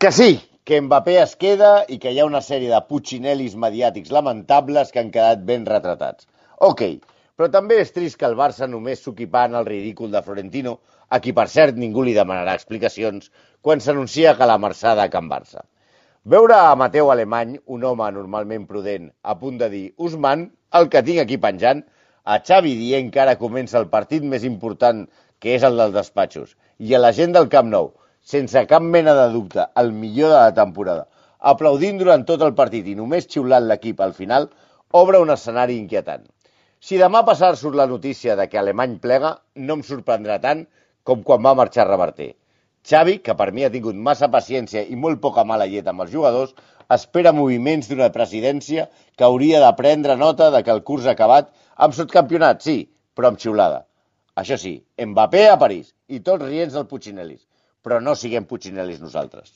Que sí, que Mbappé es queda i que hi ha una sèrie de putxinelis mediàtics lamentables que han quedat ben retratats. Ok, però també és trist que el Barça només s'oquipant el ridícul de Florentino, a qui per cert ningú li demanarà explicacions, quan s'anuncia que la marxada a Can Barça. Veure a Mateu Alemany, un home normalment prudent, a punt de dir Usman, el que tinc aquí penjant, a Xavi dient que ara comença el partit més important, que és el dels despatxos, i a la gent del Camp Nou, sense cap mena de dubte, el millor de la temporada, aplaudint durant tot el partit i només xiulant l'equip al final, obre un escenari inquietant. Si demà passat surt la notícia de que Alemany plega, no em sorprendrà tant com quan va marxar Reverter. Xavi, que per mi ha tingut massa paciència i molt poca mala llet amb els jugadors, espera moviments d'una presidència que hauria de prendre nota de que el curs acabat amb subcampionat, sí, però amb xiulada. Això sí, Mbappé a París i tots rients del Puccinelis, però no siguem Puccinelis nosaltres.